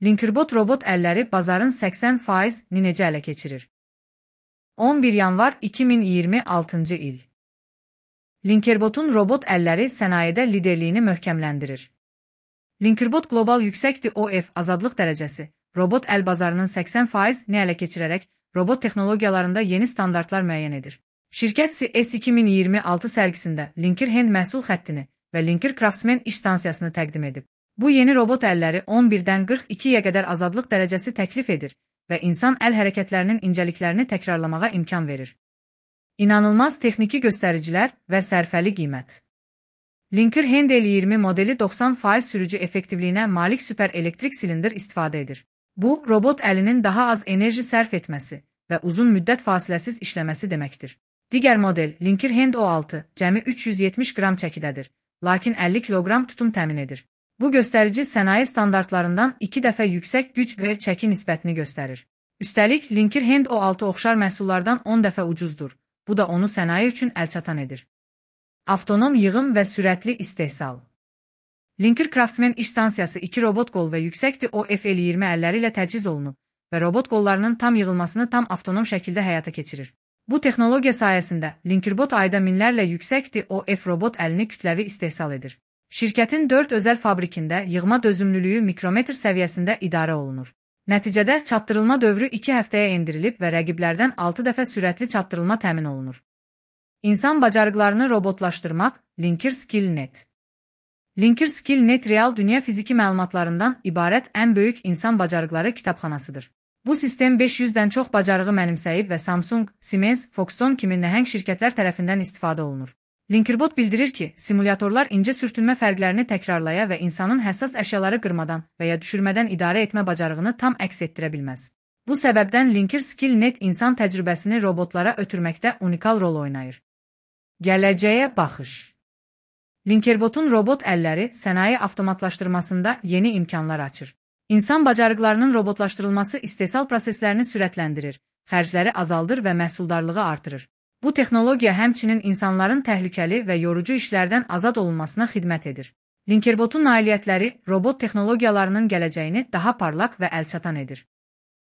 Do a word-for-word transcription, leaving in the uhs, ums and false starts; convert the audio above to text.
Linkerbot robot əlləri bazarın səksən faizini necə ələ keçirir? on bir yanvar iki min iyirmi altıncı il. Linkerbotun robot əlləri sənayedə liderliyini möhkəmləndirir. Linkerbot Global Yüksək D O F azadlıq dərəcəsi, robot əl bazarının səksən faizini ələ keçirərək robot texnologiyalarında yeni standartlar müəyyən edir. Şirkət C E S iki min iyirmi altı sərgisində Linker Hand məhsul xəttini və Linker Craftsman iş stansiyasını təqdim edib. Bu yeni robot əlləri on birdən qırx ikiyə qədər azadlıq dərəcəsi təklif edir və insan əl hərəkətlərinin incəliklərini təkrarlamağa imkan verir. İnanılmaz texniki göstəricilər və sərfəli qiymət. Linker Hand L iyirmi modeli doxsan faiz sürücü effektivliyinə malik süper elektrik silindr istifadə edir. Bu, robot əlinin daha az enerji sərf etməsi və uzun müddət fasiləsiz işləməsi deməkdir. Digər model Linker Hand O altı cəmi üç yüz yetmiş qram çəkidədir, lakin əlli kiloqram tutum təmin edir. Bu göstərici sənaye standartlarından iki dəfə yüksək güc və çəki nisbətini göstərir. Üstəlik, Linker Hand O altı oxşar məhsullardan on dəfə ucuzdur. Bu da onu sənaye üçün əlçatan edir. Avtonom yığım və sürətli istehsal. Linker Craftsman iş stansiyası iki robot qol və yüksək D O F L iyirmi əlləri ilə təchiz olunub və robot qollarının tam yığılmasını tam avtonom şəkildə həyata keçirir. Bu texnologiya sayəsində Linkerbot ayda minlərlə yüksək D O F robot əlini kütləvi istehsal edir. Şirkətin dörd özəl fabrikində yığma dözümlülüyü mikrometr səviyyəsində idarə olunur. Nəticədə çatdırılma dövrü iki həftəyə endirilib və rəqiblərdən altı dəfə sürətli çatdırılma təmin olunur. İnsan bacarıqlarını robotlaşdırmaq, Linker Skill Net. Linker Skill Net real dünya fiziki məlumatlarından ibarət ən böyük insan bacarıqları kitabxanasıdır. Bu sistem beş yüzdən çox bacarığı mənimsəyib və Samsung, Siemens, Foxconn kimi nəhəng şirkətlər tərəfindən istifadə olunur. Linkerbot bildirir ki, simulyatorlar incə sürtünmə fərqlərini təkrarlaya və insanın həssas əşyaları qırmadan və ya düşürmədən idarə etmə bacarığını tam əks etdirə bilməz. Bu səbəbdən Linker Skill Net insan təcrübəsini robotlara ötürməkdə unikal rol oynayır. Gələcəyə baxış. Linkerbotun robot əlləri sənaye avtomatlaşdırmasında yeni imkanlar açır. İnsan bacarıqlarının robotlaşdırılması istehsal proseslərini sürətləndirir, xərcləri azaldır və məhsuldarlığı artırır. Bu texnologiya həmçinin insanların təhlükəli və yorucu işlərdən azad olunmasına xidmət edir. Linkerbotun nailiyyətləri robot texnologiyalarının gələcəyini daha parlaq və əlçatan edir.